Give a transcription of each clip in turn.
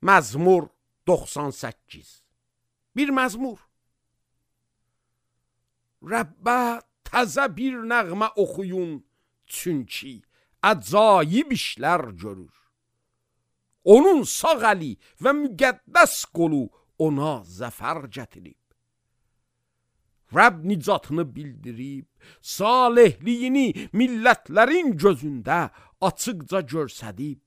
Məzmur 98. Bir məzmur. Rəbbə təzə bir nəğmə oxuyun, çünki əcayib işlər görür. Onun sağ əli və müqəddəs qolu ona zəfər gətirib. Rəbb nicatını bildirib, salehliyini millətlərin gözündə açıqca görsədib.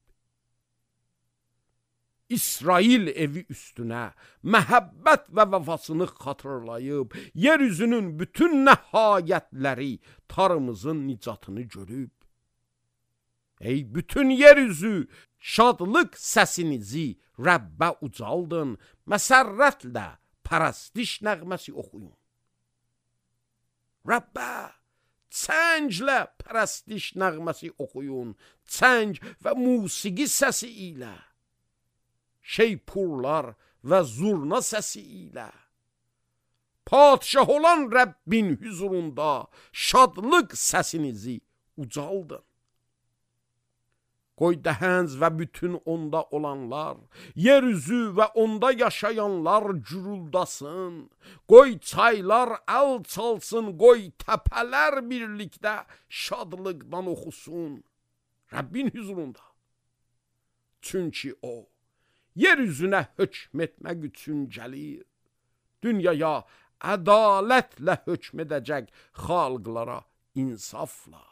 İsrail evi üstünə məhəbbət və vəfasını xatırlayıb, yeryüzünün bütün nəhayətləri tarımızın nicatını görüb. Ey bütün yeryüzü, şadlıq səsinizi Rəbbə ucaldın, məsərrətlə pərəstiş nəğməsi oxuyun. Rəbbə, çənglə pərəstiş nəğməsi oxuyun, çəng və musiqi səsi ilə, şeypurlar və zurna səsi ilə. Padişah olan Rəbbin hüzurunda şadlıq səsinizi ucaldın. Qoy dəhənc və bütün onda olanlar, yeryüzü və onda yaşayanlar güruldasın. Qoy çaylar əl çalsın, qoy təpələr birlikdə şadlıqdan oxusun Rəbbin hüzurunda. Çünki o, yeryüzünə hökm etmək üçün gəlir. Dünyaya ədalətlə hökm edəcək xalqlara insafla.